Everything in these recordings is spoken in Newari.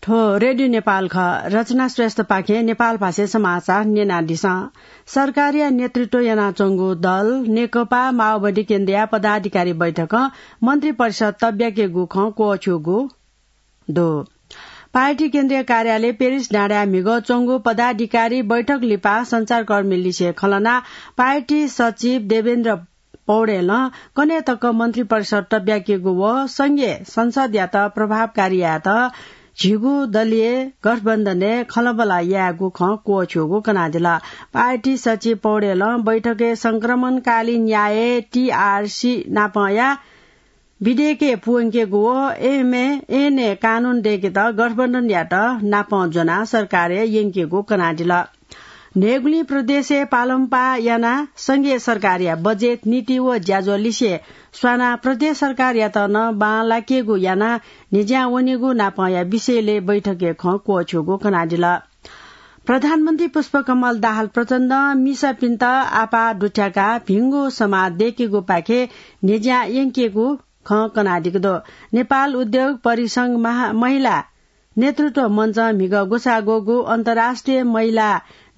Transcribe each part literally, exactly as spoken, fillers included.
थ्व रेडियो नेपाल खः। रचना श्रेष्ठपाखें नेपाल भाषाय् समाचार न्यनादिसँ। सरकारया नेतृत्व यानाच्वंगु दल नेकपा माओवादी केन्द्रया पदाधिकारी बैठकं मन्त्री परिषद तब्याकेगु खँ क्वःछ्यूगु दु। पार्टी केन्द्रीय कार्यालय पेरिस डाँडाय् म्हिगः च्वंगु पदाधिकारी बैठक लिपा सञ्चारकर्मीलिसे खँ ल्हानाः पार्टी सचिव देवेन्द्र पौडेलं कन्हय् तक मन्त्री परिषद तब्याकेगु व संघीय संसदयात प्रभावकारी यायेत झीगु दलीय गठबन्धनय् खँल्हाबल्हा यायेगु खँ क्वःछ्यूगु कनादिल। पार्टी सचिव पौडेलं बैठकय् संक्रमणकालीन न्याय, टीआरसी नापंया विधेयकय् पूवंकेगु व एमए, एनए कानून दय्केत गठबन्धनयात नापं ज्वनाः सरकारय् यंकेगु कनादिल। न्हय्गुलिं प्रदेशय् पालंपाः यानाः संघीय सरकारया बजेट, नीति व ज्याझ्वःलिसे स्वानाः प्रदेश सरकारयात नं बांलाकेगु यानाः न्ह्यज्यां वनीगु नापंया विषयलय् बैठकय् खँ क्वःछ्यूगु कनादिल। प्रधानमन्त्री पुष्पकमल दाहाल प्रचण्डं मिसापिन्त आपाः दुथ्याकाः भिंगु समाद दय्केगुपाखे न्ह्यज्यां यंकेगु खँ कनादिक दु। नेपाल उद्योग परिसंघ महा-, महिला नेतृत्व मञ्चं म्हिगः ग्वसाः ग्वःगु अन्तर्राष्ट्रिय महिला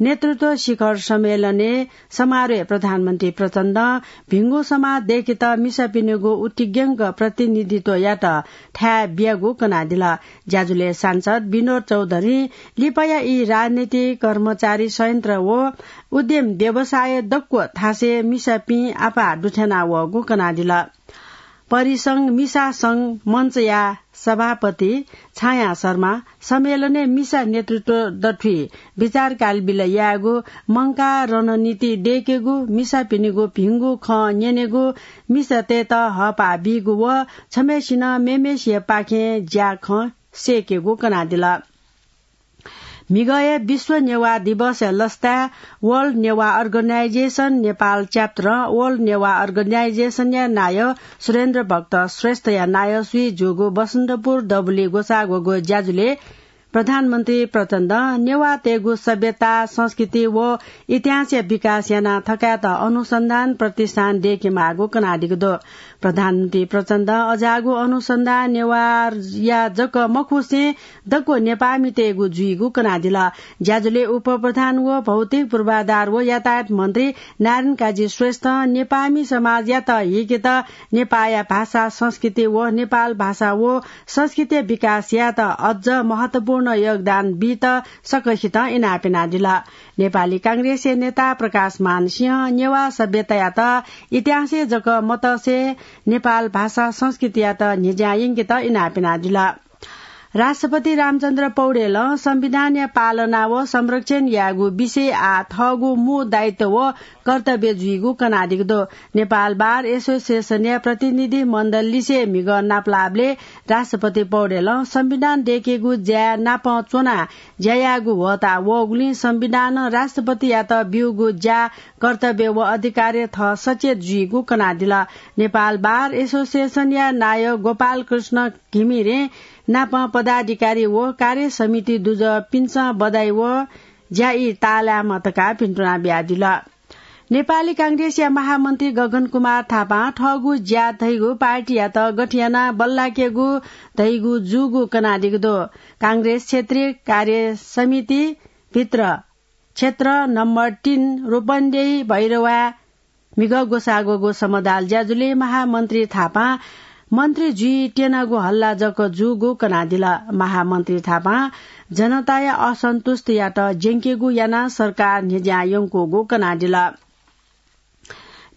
नेतृत्व शिखर सम्मेलनय् समारोहय् प्रधानमन्त्री प्रचण्डं भिंगु समाद दय्केत मिसापिनिगु उतिग्यंक प्रतिनिधित्वयात थाय् बियागु कनादिल। ज्याझ्वलय् सांसद विनोद चौधरीं लिपाया ई राजनीतिक, कर्मचारी संयन्त्र व उद्यम व्यवसाय दक्व थासय् मिसापिं आपाः दुथ्याना वःगु कनादिल। परिसंघ मिसा संघ मञ्चया सभापति छाया शर्मा सम्मेलनय् मिसा नेतृत्व दथुइ बिचार कालबिल यायेगु, मंकाः रणनीति दय्केगु, मिसापिनिगु भिंगु खँ न्यनेगु, मिसातय्त हःपाः बीगु व छम्हय्सिनं मेम्हय्सिया पाखें ज्याखँ सय्केगु कनादिल। म्हिगःया विश्व नेवाः दिवसया लसताय् World Newah Organization नेपाल च्याप्टरं World Newah Organization-या नायः सुरेन्द्र भक्त श्रेष्ठया नायःसुइ जूगु बसन्तपुर दबुली ग्वसाः ग्वःगु ज्याझ्वलय् प्रधानमन्त्री प्रचण्डं नेवाःतय्गु सभ्यता, संस्कृति व इतिहासया विकास यानाः थकायेत अनुसन्धान प्रतिष्ठान दय्केमाःगु कनादिक दु। प्रधानमन्त्री प्रचण्डं अज्याःगु अनुसन्धान नेवाःया जक मखुसें दक्व नेपाःमितय्गु जुइगु कनादिल। ज्याझ्वलय् उपप्रधान व भौतिक पूर्वाधार व यातायात मन्त्री नारायण काजी श्रेष्ठं नेपाःमि समाजयात हीकेत नेपाःया भाषा, संस्कृति व नेपाल भाषा व संस्कृतिया विकास यायेत अझ महत्वपूर्ण योगदान बीत सकसितं इनाप यानादिल। नेपाली कांग्रेसया नेता प्रकाशमान सिंहं नेवाः सभ्यतायात इतिहासय् जक मतसे नेपाल भाषा संस्कृतियात न्ह्यज्यां यंकेत इनाप यानादिल। राष्ट्रपति रामचन्द्र पौडेलं संविधानया पालना व संरक्षण यायेगु विषय आः थःगु मू दायित्व व कर्तव्य जुइगु कनादिक दु। नेपाल बार एसोसिएसनया प्रतिनिधि मण्डललिसे म्हिगः नापलाःबलय् राष्ट्रपति पौडेलं संविधान दय्केगु ज्याय् नापं च्वनाः ज्या यायेगु ह्वःताः वःगुलिं संविधानं राष्ट्रपतियात ब्यूगु ज्या, कर्तव्य व अधिकारय् थः सचेत जुइगु कनादिल। नेपाल बार एसोसिएसनया नायः गोपाल कृष्ण घिमिरे नाप पदाधिकारी व कार्य समिति दुजःपिन्सं बधाई व ज्या ई ताःलायेमा धकाः भिन्तुना बियादिल। नेपाली कांग्रेसया महामन्त्री गगन कुमार थापां थःगु ज्या धइगु पार्टीयात गथे यानाः बल्लाकेगु धइगु जूगु कनादिक दु। कांग्रेस क्षेत्रीय कार्य समिति भित्र क्षेत्र नम्बर तीन रूपन्देही भैरवाय् म्हिगः ग्वसाः ग्वःगु समदाल ज्याझ्वलय् महामन्त्री थापां मन्त्री जुइ त्यनागु हल्ला जक जूगु कनादिल। महामन्त्री थापां जनताया असन्तुष्टियात ज्यंकेगु यानाः सरकार न्ह्यज्यां यंकूगु कनादिल।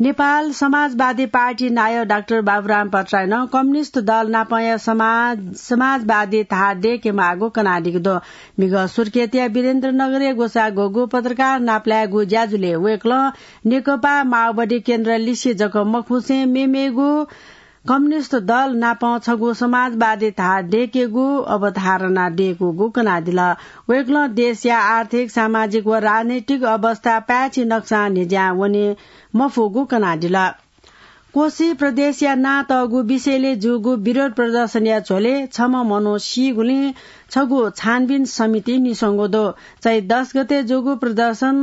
नेपाल समाजवादी पार्टी नायः डाक्टर बाबुराम भट्टराईनं कम्युनिस्ट दल नापंया समाज, समाजवादी धार दय्केमाःगु कनादिक दु। म्हिगः सुर्खेतया वीरेन्द्रनगरय् ग्वसाः ग्वःगु पत्रकार नापलायेगु ज्याझ्वलय् वय्कलं नेकपा माओवादी केन्द्रलिसे जक मखुसें मेमेगु कम्युनिस्ट दल नापं छगू समाजवादी धार दय्केगु अवधारणा दय्कूगु कनादिल। वय्कलं देशया आर्थिक, सामाजिक व राजनैतिक अवस्था पाय्छि नकसां न्ह्यज्यां वने मफुगु कनादिल। कोशी प्रदेशया नां तःगु विषयलय् जूगु विरोध प्रदर्शनया झ्वलय् छम्ह मनू सीगुलिं छगू छानबिन समिति निस्वंगु दु। चैत दस गते जूगु प्रदर्शन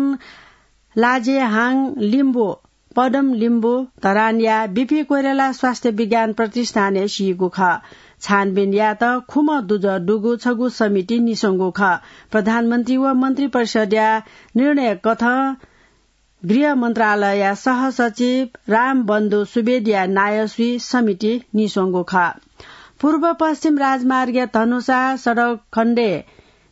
लाजेहाङ लिम्बू, पदम लिम्बू धरानया बिपी कोइराला स्वास्थ्य विज्ञान प्रतिष्ठानय् सीगु खः। छानबिन यायेत खुम्ह दुजः दुगु छगू समिति निस्वंगु खः। प्रधानमन्त्री व मन्त्रिपरिषदया निर्णय कथं गृह मन्त्रालयया सहसचिव रामबन्धु सुवेदीया नायःसुइ समिति निस्वंगु खः। पूर्व पश्चिम राजमार्गया धनुषा सडक खण्डय्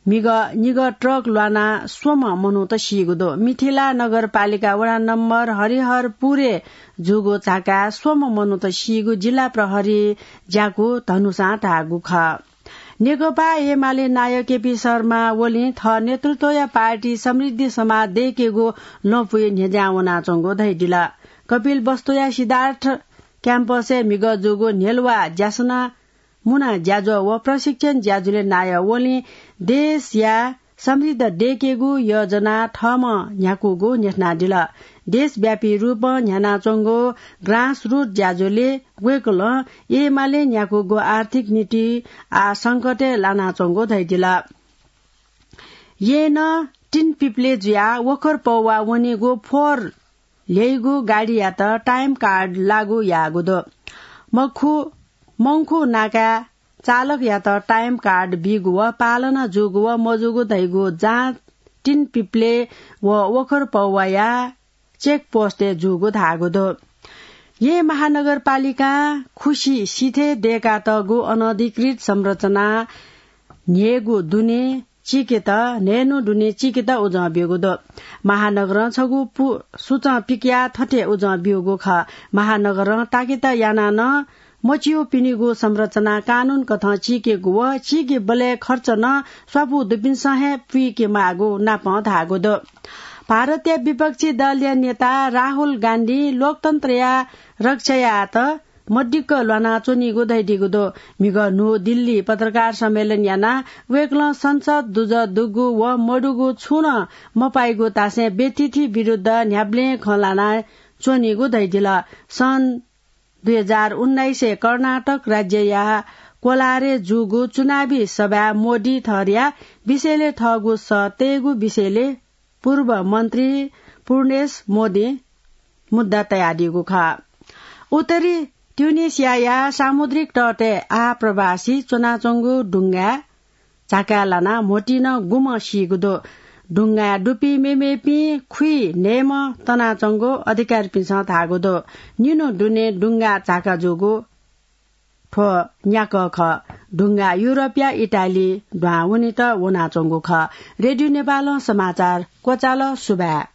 म्हिगः निगः ट्रक ल्वानाः स्वम्ह मनूत सीगु दु। मिथिला नगरपालिका वडा नम्बर हरिहरपुरय् जूगु झाकाय् स्वम्ह मनूत सीगु जिल्ला प्रहरी ज्याकू धनुषां धाःगु खः। नेकपा एमाले नायः केपी शर्मा ओलीं थः नेतृत्वया पार्टी समृद्धि समाज दय्केगु लँपुइ न्ह्यज्यां वनाच्वंगु धयादिल। कपिलवस्तुया सिद्धार्थ क्याम्पसय् म्हिगः जूगु न्ह्यलुवा ज्यासना मुना ज्याझ्वः व प्रशिक्षण ज्याझ्वलय् नायः ओलीं देशया समृद्ध दय्केगु योजना थःम्हं न्ह्याकूगु न्ह्यथनादिल। देशव्यापी रूपं न्ह्यानाच्वंगु grassroot ज्याझ्वलय् वय्कलं एमाले न्ह्याकूगु आर्थिक नीति आः संकटय् लानाच्वंगु धयादिल। येँनं तीन पिप्ले जुयाः वखर पौवा वनीगु फोहोर ल्ह्यइगु गाडीयात time card लागू याःगु दु। मखु, मंखु नाकाय् चालकयात time card बीगु व पालना जूगु व मजूगु धइगु जाँच तीन पिप्ले व वखर पौवाया check post-य् जूगु धाःगु दु। येँ महानगरपालिकां खुसि सिथय् दय्कातःगु अनधिकृत संरचना न्ह्यःगु दुने चिकेत, न्हय्न्हु दुने चिकेत उजं ब्यूगु दु। महानगरं छगू पु-, सूचं पिकयाः थथे उजं ब्यूगु खः। महानगरं ताकेत यानाः नं मच्यूपिनिगु संरचना कानून कथं चीकेगु व चीकेबलय् खर्च नं स्वापू दुपिन्सं हे पुइके माःगु नापं धाःगु दु। भारतया विपक्षी दलया नेता राहुल गान्धीं लोकतन्त्रया रक्षा यायेत मदिक्क ल्वानाच्वनीगु धयादीगु दु। म्हिगः न्हू दिल्ली पत्रकार सम्मेलन यानाः वय्कलं संसद दुजः दुगु व मदुगु छुं नं मपाइगु धासें व्यथिति विरुद्ध न्ह्याबलें खँ ल्हाना च्वनीगु धयादिल। सन् दुई हजार उन्नाइसय् कर्नाटक राज्यया कोलारय् जूगु चुनावी सभाय् मोदी थरया विषयलय् थःगु सः तयेगु विषयलय् पूर्व मन्त्री पूर्णेश मोदीं मुद्दा तयादीगु खः। उत्तरी ट्युनिसियाया सामुद्रिक तटय् आः प्रवासी च्वनाच्वंगु डुंगाय् झाकाय् लानाः म्होतिं नं गुम्ह सीगु दु। डुंगाय् दुपिं मेमेपिं खुइन्हय्म्ह तनाच्वंगु अधिकारीपिन्सं धाःगु दु। निन्हु दुने डुंगा झाका जूगु थ्व न्याकः खः। डुंगा युरोपया इटाली दुहां वनेत वनाच्वंगु खः। रेडियो नेपालं समाचार क्वचाल। सुभाय्।